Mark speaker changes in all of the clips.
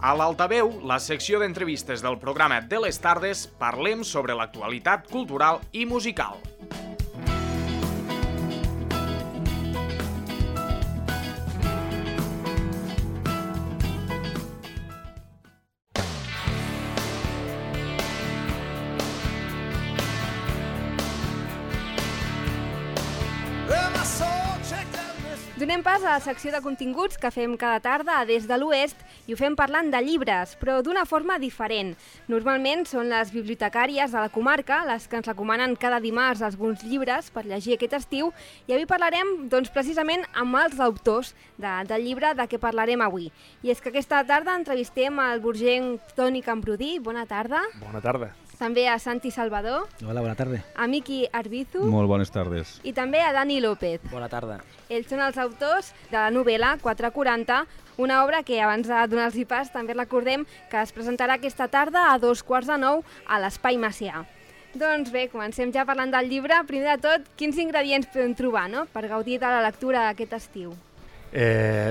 Speaker 1: A l'Altaveu, la secció d'entrevistes del programa de les tardes, parlem sobre l'actualitat cultural i musical.
Speaker 2: Donem pas a la secció de continguts que fem cada tarda a Des de l'Oest i ho fem parlant de llibres, però d'una forma diferent. Normalment són les bibliotecàries de la comarca les que ens recomanen cada dimarts alguns llibres per llegir aquest estiu i avui parlarem precisament amb els autors del llibre de què parlarem avui. I és que aquesta tarda entrevistem el burgenc Toni Camprudí. Bona tarda.
Speaker 3: Bona tarda.
Speaker 2: També a Santi Salvador.
Speaker 4: Hola, bona tarda.
Speaker 2: A Miqui Arbizu.
Speaker 5: Molt bones tardes.
Speaker 2: I també a Dani López.
Speaker 3: Bona tarda.
Speaker 2: Ells són els autors de la novel·la 440, una obra que abans de donar-los pas també recordem que es presentarà aquesta tarda a 8:45 a l'Espai Macià. Doncs bé, comencem ja parlant del llibre. Primer de tot, quins ingredients podem trobar per gaudir de la lectura aquest estiu?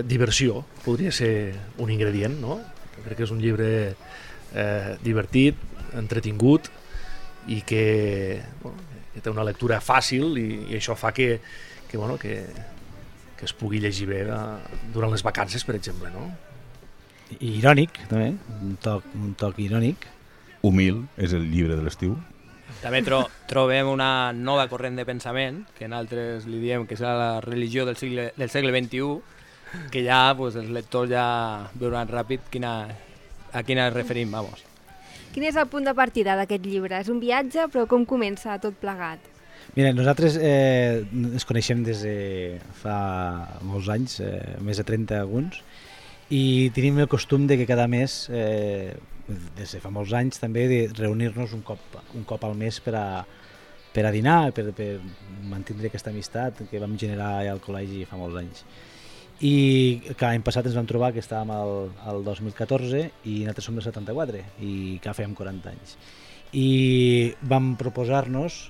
Speaker 3: Diversió podria ser un ingredient, no? Crec que és un llibre divertit, entretingut i que té una lectura fàcil i això fa que es pugui llegir bé durant les vacances, per exemple, no?
Speaker 4: I irònic, també, un toc irònic.
Speaker 5: Humil és el llibre de l'estiu.
Speaker 6: També trobem una nova corrent de pensament, que nosaltres li diem que serà la religió del segle XXI, que ja els lectors ja veuran ràpid a quina ens referim, vamos.
Speaker 2: Quin és el punt de partida d'aquest llibre? És un viatge, però com comença tot plegat?
Speaker 4: Mira, nosaltres ens coneixem des de fa molts anys, més de 30 alguns, i tenim el costum de que cada mes, des de fa molts anys també, de reunir-nos un cop al mes per a dinar, per mantenir aquesta amistat que vam generar al col·legi fa molts anys. I que l'any passat ens vam trobar que estàvem al 2014 i nosaltres som del 74 i que fèiem 40 anys. I vam proposar-nos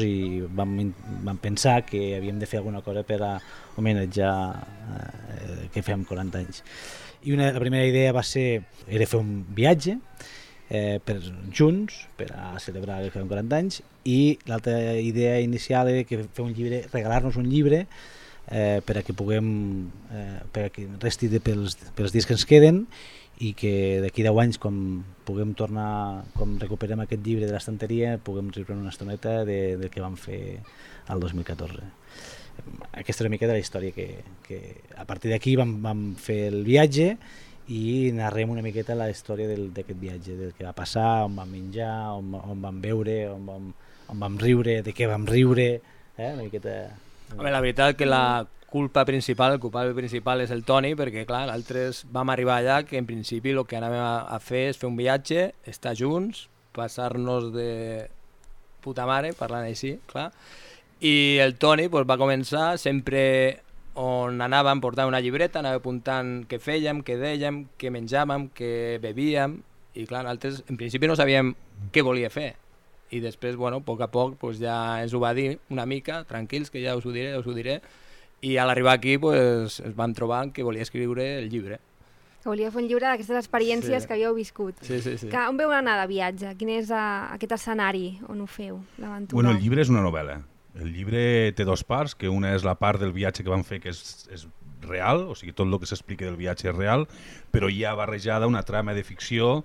Speaker 4: i vam pensar que havíem de fer alguna cosa per a homenatjar que fèiem 40 anys. I la primera idea era fer un viatge junts per a celebrar que fèiem 40 anys, i l'altra idea inicial era que fer un llibre, regalar-nos un llibre per a que resti pels dies que ens queden i que d'aquí 10 anys, com recuperem aquest llibre de l'estanteria, puguem riure una estoneta del que vam fer el 2014. Aquesta és una mica de la història que a partir d'aquí vam fer el viatge i narrem una miqueta la història d'aquest viatge, del que va passar, on vam menjar, on vam beure, on vam riure, de què vam riure, una miqueta...
Speaker 6: Home, la veritat que el culpable principal és el Toni, perquè clar, nosaltres vam arribar allà que en principi el que anàvem a fer és fer un viatge, estar junts, passar-nos de puta mare, parlant així, clar, i el Toni va començar sempre... on anàvem portant una llibreta, anàvem apuntant què fèiem, què dèiem, què menjàvem, què bebíem, i clar, nosaltres en principi no sabíem què volia fer, i després, a poc a poc ja ens ho va dir una mica, tranquils, que ja us ho diré, i a l'arribar aquí ens vam trobar que volia escriure el llibre.
Speaker 2: Que volia fer un llibre d'aquestes experiències que havíeu viscut.
Speaker 6: Sí.
Speaker 2: On veu anar de viatge? Quin és aquest escenari on ho feu, l'aventura?
Speaker 5: Bueno, el llibre és una novel·la. El llibre té dues parts, que una és la part del viatge que vam fer, que és real, o sigui, tot el que s'explica del viatge és real, però hi ha barrejada una trama de ficció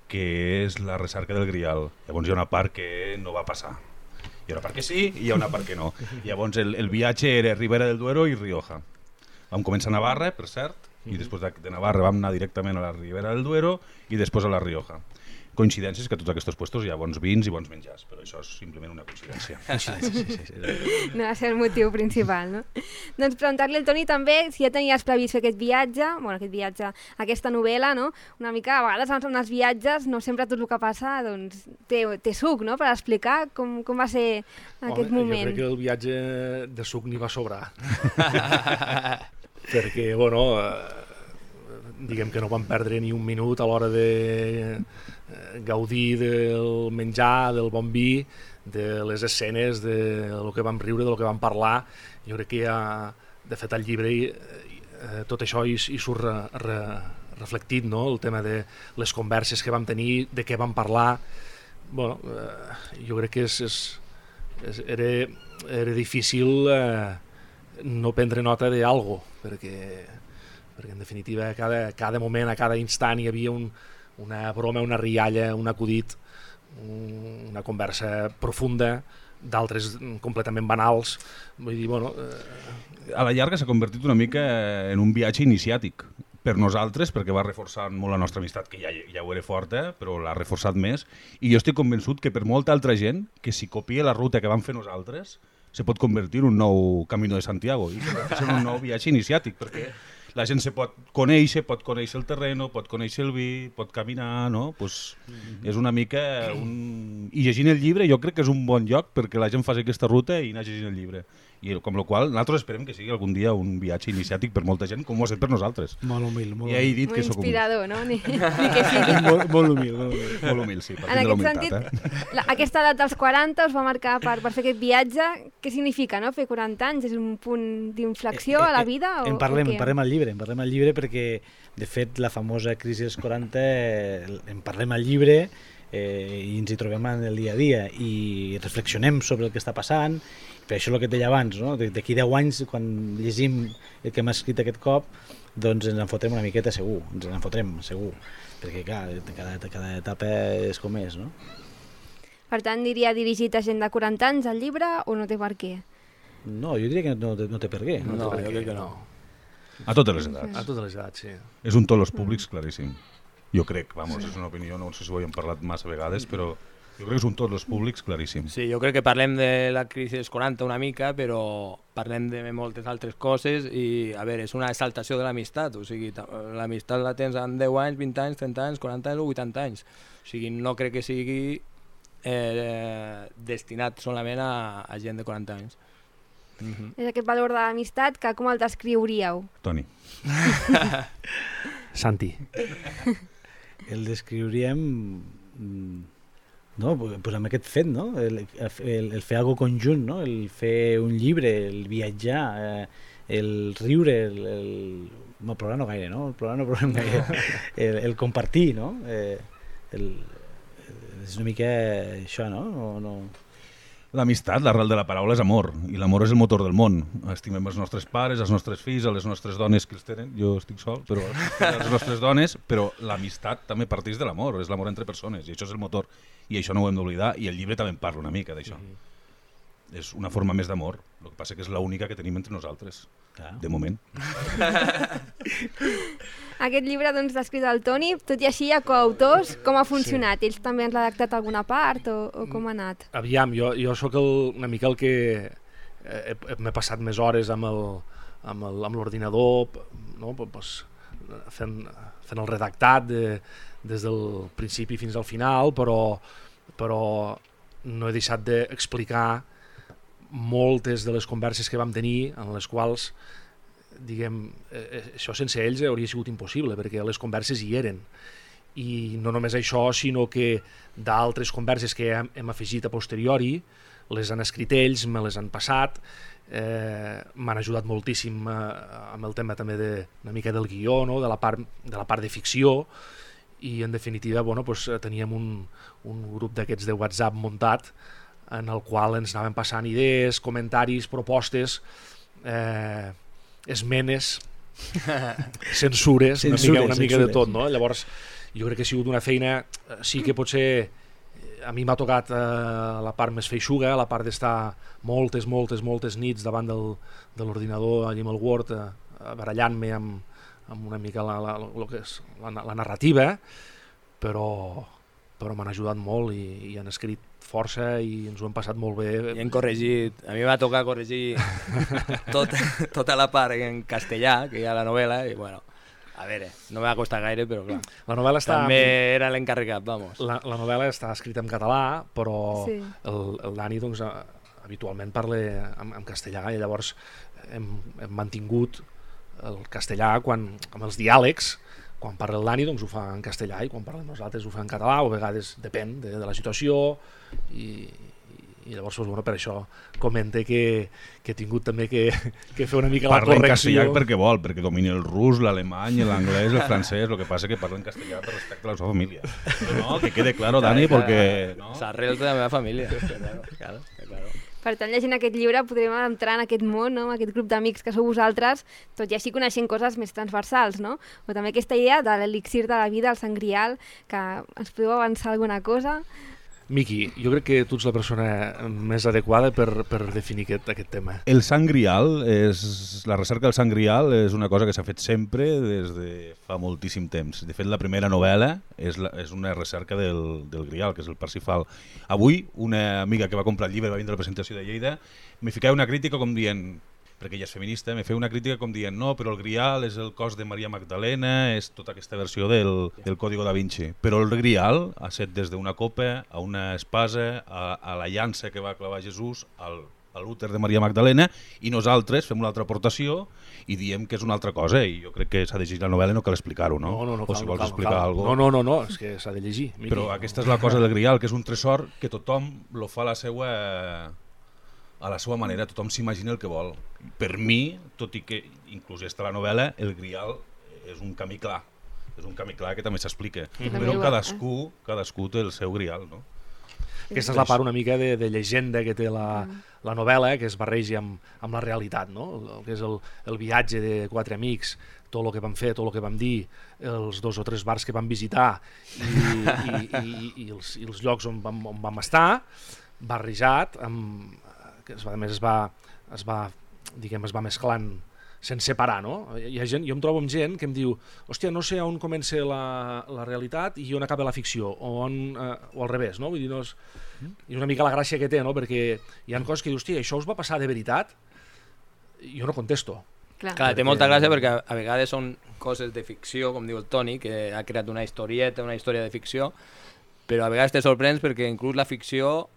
Speaker 5: que és la recerca del Grial. Llavors hi ha una part que no va passar. Hi ha una part que sí i hi ha una part que no. Llavors el viatge era Ribera del Duero i Rioja. Vam començar a Navarra, per cert, i després de Navarra vam anar directament a la Ribera del Duero i després a la Rioja. Coincidències que a tots aquests puestos hi ha bons vins i bons menjars, però això és simplement una coincidència.
Speaker 2: No va ser el motiu principal, no? Doncs preguntar-li al Toni també si ja tenies previst fer aquest viatge, aquesta novel·la, no? Una mica, a vegades en els viatges no sempre tot el que passa té suc, no? Per explicar com va ser aquest moment.
Speaker 3: Jo crec que el viatge de suc n'hi va sobrar. Perquè, diguem que no vam perdre ni un minut a l'hora de gaudir del menjar, del bon vi, de les escenes, de lo que vam riure, de lo que vam parlar. Jo crec que de fet el llibre tot això hi surt reflectit, no? El tema de les converses que vam tenir, de què vam parlar. Bueno, jo crec que era difícil no prendre nota d'algo, perquè en definitiva a cada moment, a cada instant hi havia una broma, una rialla, un acudit, una conversa profunda, d'altres completament banals. Vull dir, bueno...
Speaker 5: A la llarga s'ha convertit una mica en un viatge iniciàtic per nosaltres, perquè va reforçar molt la nostra amistat, que ja ho era forta, però l'ha reforçat més, i jo estic convençut que per molta altra gent, que si copia la ruta que vam fer nosaltres, se pot convertir en un nou Camino de Santiago, i en un nou viatge iniciàtic, perquè la gent se pot conèixer el terreno, pot conèixer el vi, pot caminar, no? Pues és una mica... I llegint el llibre jo crec que és un bon lloc perquè la gent faci aquesta ruta i anar llegint el llibre. I com la qual nosaltres esperem que sigui algun dia un viatge iniciàtic per molta gent, com ho ha estat per nosaltres.
Speaker 4: Molt humil, molt
Speaker 5: ja he dit
Speaker 2: molt
Speaker 5: que sóc
Speaker 2: inspirador, no? Ni que sigui.
Speaker 4: molt humil.
Speaker 5: Molt humil, sí,
Speaker 2: En aquest sentit, aquesta edat dels 40 us va marcar per fer aquest viatge. Què significa, no? Fer 40 anys? És un punt d'inflexió a la vida?
Speaker 4: En parlem al llibre perquè, de fet, la famosa crisi dels 40 en parlem al llibre i ens hi trobem en el dia a dia i reflexionem sobre el que està passant. Per això el que et deia abans, no? D'aquí 10 anys, quan llegim el que hem escrit aquest cop, doncs ens en fotrem una miqueta segur, perquè clar, cada etapa és com és, no?
Speaker 2: Per tant, diria dirigit a gent de 40 anys el llibre o no té per què?
Speaker 4: No, jo diria que no té per què.
Speaker 6: No, jo crec que no.
Speaker 5: A totes les edats.
Speaker 3: A totes les edats, sí.
Speaker 5: És un tots els públics claríssim. Jo crec, és una opinió, no sé si ho hem parlat massa vegades, però jo crec que és un tots els públics claríssim.
Speaker 6: Sí, jo crec que parlem de la crisi dels 40 una mica, però parlem de moltes altres coses i, a veure, és una exaltació de l'amistat, o sigui, l'amistat la tens en 10 anys, 20 anys, 30 anys, 40 anys o 80 anys. O sigui, no crec que sigui destinat solament a gent de 40 anys.
Speaker 2: És aquest valor de l'amistat que com el descriuríeu?
Speaker 5: Toni.
Speaker 3: Santi.
Speaker 4: El descriuríem... No, pues amb aquest fet, no? El fer alguna conjunt, no? El fer un llibre, el viatjar, el riure, no, plorar no gaire, no? Plorar no plorar gaire. El compartir, no? És una mica això, no?
Speaker 5: L'amistat, l'arrel de la paraula és amor, i l'amor és el motor del món. Estimem els nostres pares, els nostres fills, les nostres dones que els tenen, jo estic sol, però les nostres dones, però l'amistat també parteix de l'amor, és l'amor entre persones, i això és el motor, i això no ho hem d'oblidar, i el llibre també en parla una mica d'això. És una forma més d'amor, el que passa que és l'única que tenim entre nosaltres, de moment.
Speaker 2: Aquest llibre doncs, l'ha escrit el Toni, tot i així hi ha coautors. Com ha funcionat? Sí. Ells també han redactat alguna part o com ha anat?
Speaker 3: Aviam, jo sóc una mica el que m'he passat més hores amb l'ordinador, no? Pues, fent el redactat des del principi fins al final, però no he deixat d'explicar moltes de les converses que vam tenir, en les quals, diguem, això sense ells hauria sigut impossible, perquè les converses hi eren. I no només això, sinó que d'altres converses que hem afegit a posteriori, les han escrit ells, me les han passat, m'han ajudat moltíssim amb el tema també una mica del guió, no? de la part de ficció, i en definitiva teníem un grup d'aquests de WhatsApp muntat, en el qual ens anaven passant idees, comentaris, propostes, esmenes, censures, una mica de tot, no? Llavors jo crec que ha sigut una feina, sí que potser a mi m'ha tocat la part més feixuga, la part d'estar moltes nits davant de l'ordinador allà amb el Word, barallant-me amb una mica la narrativa, però m'han ajudat molt i han escrit força i ens ho hem passat molt bé.
Speaker 6: I hem corregit, a mi va tocar corregir tota la part en castellà que hi ha a la novel·la i bueno, a veure, no m'ha costat gaire, però clar,
Speaker 3: la novel·la
Speaker 6: també era l'encarregat, vamos.
Speaker 3: La novel·la està escrita en català, però
Speaker 2: sí.
Speaker 3: el Dani doncs, habitualment parla en castellà i llavors hem mantingut el castellà amb els diàlegs. Quan parla el Dani doncs ho fa en castellà i quan parlem nosaltres ho fa en català, o a vegades depèn de la situació i i llavors doncs, bueno, per això comente que he tingut també que fer una mica la
Speaker 5: Parla en
Speaker 3: correcció.
Speaker 5: castellà perquè vol, perquè domini el rus, l'alemany, l'anglès, el francès, el que passa que parla en castellà per respecte a la seva família. No, que quede claro, Dani, perquè... No?
Speaker 6: S'arrels de la meva família. Claro.
Speaker 2: Per tant, llegint aquest llibre podrem entrar en aquest món, no? Aquest grup d'amics que sou vosaltres, tot i així coneixent coses més transversals, no? O també aquesta idea de l'elixir de la vida, el Sant Grial, que ens podeu avançar alguna cosa?
Speaker 3: Miqui, jo crec que tu ets la persona més adequada per definir aquest tema.
Speaker 5: El Sant Grial, la recerca del Sant Grial és una cosa que s'ha fet sempre des de fa moltíssim temps. De fet, la primera novel·la és una recerca del Grial, que és el Parsifal. Avui, una amiga que va comprar el llibre, va vindre a la presentació de Lleida, me ficava una crítica com dient, perquè ella és feminista, me feia una crítica com dient no, però el Grial és el cos de Maria Magdalena, és tota aquesta versió del Código da Vinci. Però el Grial ha set des d'una copa a una espasa, a la llança que va clavar Jesús, a l'úter de Maria Magdalena, i nosaltres fem una altra aportació i diem que és una altra cosa, i jo crec que s'ha de llegir la novel·la i no cal explicar-ho, no?
Speaker 3: O si vols
Speaker 5: explicar alguna cosa.
Speaker 3: No, és que s'ha de llegir. Miqui.
Speaker 5: Però aquesta és la cosa del Grial, que és un tresor que tothom lo fa a la seva manera, tothom s'imagina el que vol. Per mi, tot i que inclús està la novel·la, el Grial és un camí clar. És un camí clar que també s'explica. Però cadascú té el seu Grial, no?
Speaker 3: Aquesta és la part una mica de llegenda que té la novel·la, que es barreja amb la realitat, no? El que és el viatge de 4 amics, tot el que vam fer, tot el que vam dir, els 2 o 3 bars que vam visitar i els llocs on vam estar, barrejat que a més es va mesclant sense parar, no? Hi ha gent, jo em trobo amb gent que em diu hòstia, no sé on comença la realitat i on acaba la ficció, o al revés, no? Vull dir, és una mica la gràcia que té, no? Perquè hi ha coses que dius, hòstia, això us va passar de veritat? Jo no contesto.
Speaker 6: Clar, té molta gràcia perquè a vegades són coses de ficció, com diu el Toni, que ha creat una historieta, una història de ficció, però a vegades te sorprens perquè inclús la ficció,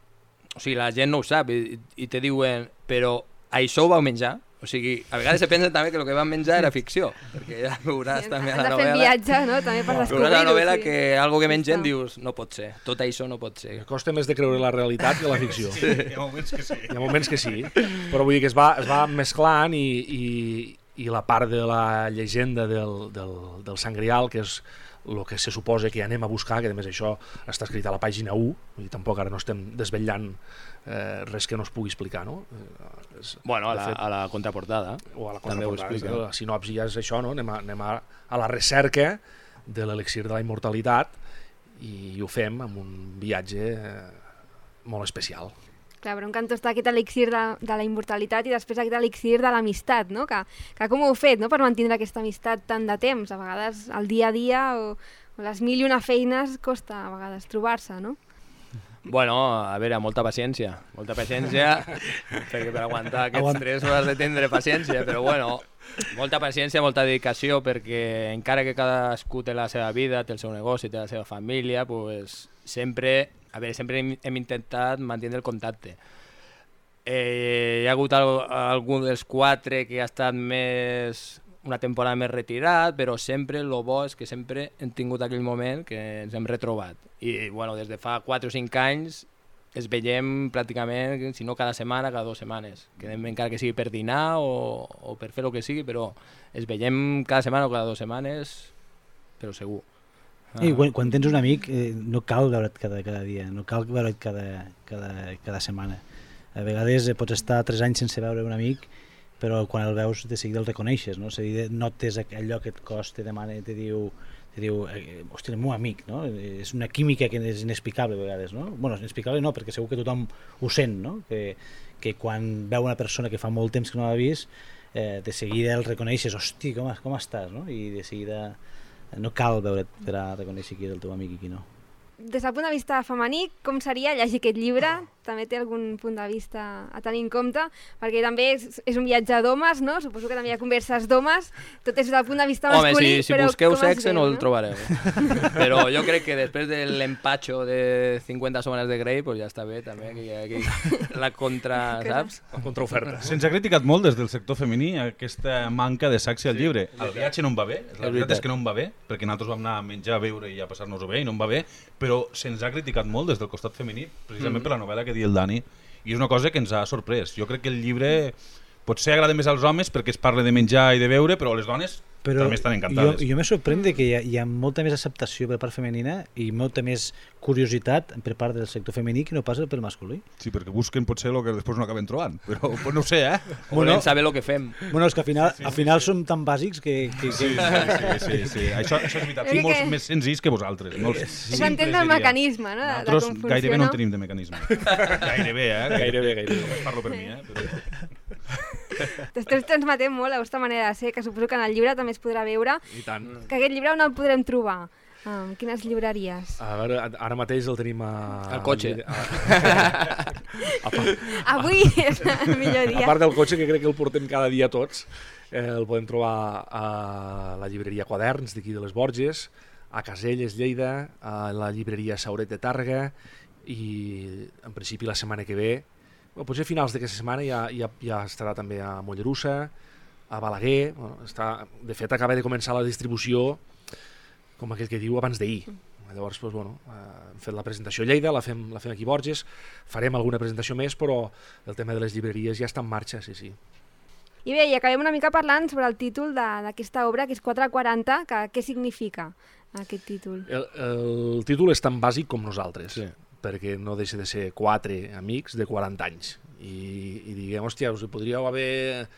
Speaker 6: o sigui, la gent no ho sap i te diuen, però això ho vau menjar? O sigui, a vegades se pensa també que el que van menjar era ficció, perquè ja veuràs també a la novel·la...
Speaker 2: Has de fer viatge, no?, també per descobrir-ho.
Speaker 6: Veuràs a la novel·la que algo que mengen dius, no pot ser, tot això no pot ser.
Speaker 3: Costa més de creure la realitat que la ficció.
Speaker 5: Sí, hi ha moments que sí.
Speaker 3: Hi ha moments que sí, però vull dir que es va mesclant i la part de la llegenda del Sant Grial, que és el que se suposa que anem a buscar, que a més això està escrit a la pàgina 1, vull dir, tampoc ara no estem desvetllant res que no es pugui explicar, no?
Speaker 6: Bueno, a la contraportada.
Speaker 3: O a la contraportada, la sinopsi ja és això, no? Anem a la recerca de l'elixir de la immortalitat i ho fem amb un viatge molt especial.
Speaker 2: Clar, però un cantó està aquest elixir de la immortalitat i després aquest elixir de l'amistat, no? Que com ho heu fet, no?, per mantenir aquesta amistat tant de temps? A vegades el dia a dia o les 1001 feines costa a vegades trobar-se, no?
Speaker 6: Bueno, a veure, molta paciència, perquè per aguantar aquests 3 hores de tindre paciència, però bueno, molta paciència, molta dedicació, perquè encara que cadascú té la seva vida, té el seu negoci, té la seva família, pues sempre hem intentat mantenir el contacte. Hi ha hagut algun dels 4 que ha estat una temporada més retirat, però sempre el bo és que sempre hem tingut aquell moment que ens hem retrobat. I bueno, des de fa 4 o 5 anys es veiem pràcticament, si no cada setmana, cada 2 setmanes. Quedem encara que sigui per dinar o per fer el que sigui, però es veiem cada setmana o cada 2 setmanes, però segur.
Speaker 4: I quan tens un amic no cal veure't cada dia, no cal veure't cada setmana. A vegades pots estar 3 anys sense veure un amic, però quan el veus de seguida el reconeixes, no? Notes allò que et costa, te demana, te diu hòstia, el meu amic, no? És una química que és inexplicable a vegades, no? Bueno, inexplicable no, perquè segur que tothom ho sent, no? Que quan veu una persona que fa molt temps que no l'ha vist, de seguida el reconeixes, hosti, com estàs, no? I de seguida no cal veure't per a reconèixer qui és el teu amic i qui no.
Speaker 2: Des del punt de vista femení, com seria llegir aquest llibre? També té algun punt de vista a tenir en compte? Perquè també és un viatge d'homes, no? Suposo que també hi ha converses d'homes. Tot és des del punt de vista masculí.
Speaker 6: Home, si busqueu sexe no el trobareu. Però jo crec que després de l'empatxo de 50 somenes de Grey, pues ja està bé també, que hi ha aquí la saps?
Speaker 3: La contraoferta.
Speaker 5: Se'ns ha criticat molt des del sector femení aquesta manca de sexe al llibre. El viatge no em va bé, la veritat és que no em va bé, perquè nosaltres vam anar a menjar, a beure i a passar-nos-ho bé i no em va bé, però se'ns ha criticat molt des del costat femení, precisament per la novel·la que diu el Dani, I és una cosa que ens ha sorprès. Jo crec que el llibre potser agrada més als homes perquè es parla de menjar i de beure, però les dones també estan encantades.
Speaker 4: Jo me sorprèn que hi ha molta més acceptació per part femenina i molta més curiositat per part del sector femení que no passa pel masculí.
Speaker 5: Sí, perquè busquen potser el que després no acaben trobant, però pues no ho sé,
Speaker 6: Volem saber el que fem.
Speaker 4: Bueno, és que al final som tan bàsics que...
Speaker 5: Sí. Això és veritat. Sí, molts més senzills que vosaltres.
Speaker 2: És entendre el mecanisme, no?
Speaker 5: Nosaltres gairebé no en tenim de mecanisme. Gairebé. Només parlo per mi,
Speaker 2: T'esteu transmetent molt la vostra manera de ser, que suposo que en el llibre també es podrà veure.
Speaker 3: I tant.
Speaker 2: Que aquest llibre on el podrem trobar? Quines llibreries?
Speaker 3: A veure, ara mateix el tenim
Speaker 6: al cotxe.
Speaker 2: Avui és el millor dia.
Speaker 3: A part del cotxe, que crec que el portem cada dia tots, el podem trobar a la llibreria Quaderns d'aquí de les Borges, a Caselles, Lleida, a la llibreria Sauret de Tàrrega i en principi la setmana que ve, potser a finals d'aquesta setmana ja estarà també a Mollerussa, a Balaguer. De fet, acaba de començar la distribució, com aquell que diu, abans d'ahir. Llavors, hem fet la presentació a Lleida, la fem aquí a Borges, farem alguna presentació més, però el tema de les llibreries ja està en marxa, sí.
Speaker 2: I bé, i acabem una mica parlant sobre el títol d'aquesta obra, que és 440, què significa aquest títol?
Speaker 3: El títol és tan bàsic com nosaltres. Sí. Perquè no deixa de ser 4 amics de 40 anys i diguem, hòstia, us podríeu haver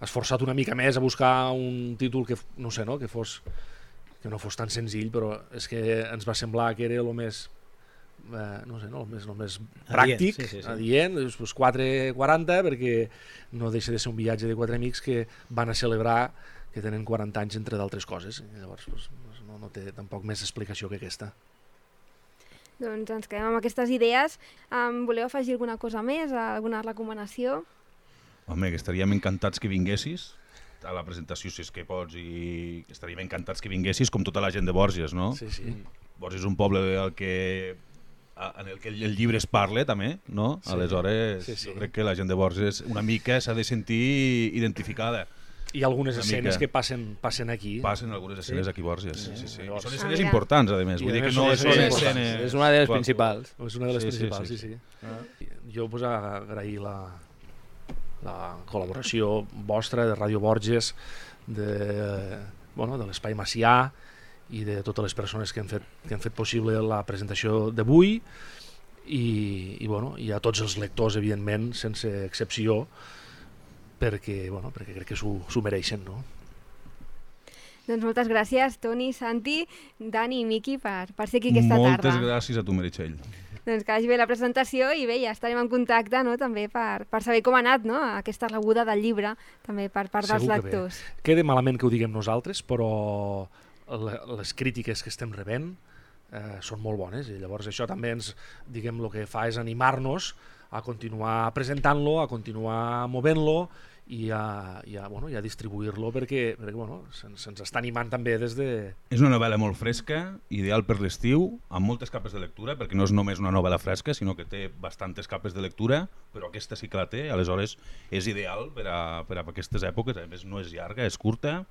Speaker 3: esforçat una mica més a buscar un títol que no fos tan senzill, però és que ens va semblar que era el més el més pràctic, adient, 440, perquè no deixa de ser un viatge de 4 amics que van a celebrar que tenen 40 anys entre d'altres coses. Llavors no té tampoc més explicació que aquesta.
Speaker 2: Doncs ens quedem amb aquestes idees. Voleu afegir alguna cosa més? Alguna recomanació?
Speaker 5: Home, que estaríem encantats que vinguessis a la presentació, si és que pots, i estaríem encantats que vinguessis, com tota la gent de Borges, no?
Speaker 3: Sí.
Speaker 5: Borges és un poble en el que el llibre es parla, també, no?
Speaker 3: Sí.
Speaker 5: Aleshores, jo crec que la gent de Borges una mica s'ha de sentir identificada.
Speaker 3: Hi ha algunes escenes que passen aquí.
Speaker 5: Passen algunes escenes aquí a Borges, sí. Són escenes
Speaker 2: mira.
Speaker 5: importants, a més. Vull dir que no és una escena...
Speaker 6: És una de les principals.
Speaker 3: És una de les principals, sí. Jo agrair la col·laboració vostra de Ràdio Borges, de l'Espai Macià i de totes les persones que han fet possible la presentació d'avui i a tots els lectors, evidentment, sense excepció, perquè crec que s'ho mereixen, no?
Speaker 2: Doncs moltes gràcies, Toni, Santi, Dani i Miqui, per ser aquí aquesta tarda.
Speaker 5: Moltes gràcies a tu, Meritxell.
Speaker 2: Doncs que hagi bé la presentació i bé, ja estarem en contacte, no?, també per saber com ha anat, no?, aquesta rebuda del llibre, també per part dels lectors.
Speaker 3: Queda malament que ho diguem nosaltres, però les crítiques que estem rebent són molt bones, i llavors això també el que fa és animar-nos a continuar presentant-lo, a continuar movent-lo i a distribuir-lo perquè se'ns està animant també des de...
Speaker 5: És una novel·la molt fresca, ideal per l'estiu, amb moltes capes de lectura, perquè no és només una novel·la fresca, sinó que té bastantes capes de lectura, però aquesta sí que la té, aleshores és ideal per a aquestes èpoques, a més no és llarga, és curta.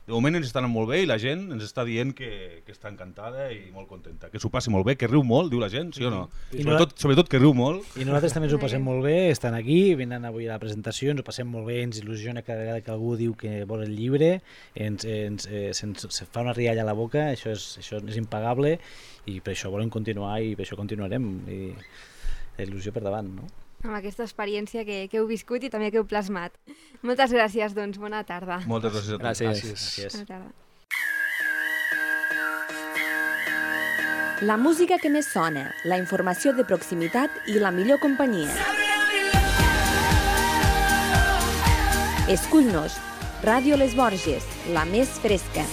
Speaker 5: De moment ens està anant molt bé i la gent ens està dient que està encantada i molt contenta. Que s'ho passi molt bé, que riu molt, diu la gent, sí o no? Sobretot que riu molt.
Speaker 4: I nosaltres també ens ho passem molt bé, estan aquí, venen avui a la presentació, ens ho passem molt bé, ens il·lusiona cada vegada que algú diu que vol el llibre, ens fa una rialla a la boca, això és impagable i per això volem continuar i per això continuarem. I la il·lusió per davant, no?
Speaker 2: Amb aquesta experiència que heu viscut i també que heu plasmat. Moltes gràcies, doncs. Bona tarda.
Speaker 5: Moltes gràcies a tu.
Speaker 6: Gràcies.
Speaker 2: Bona tarda.
Speaker 7: La música que més sona, la informació de proximitat i la millor companyia. Escull-nos, Ràdio Les Borges, la més fresca.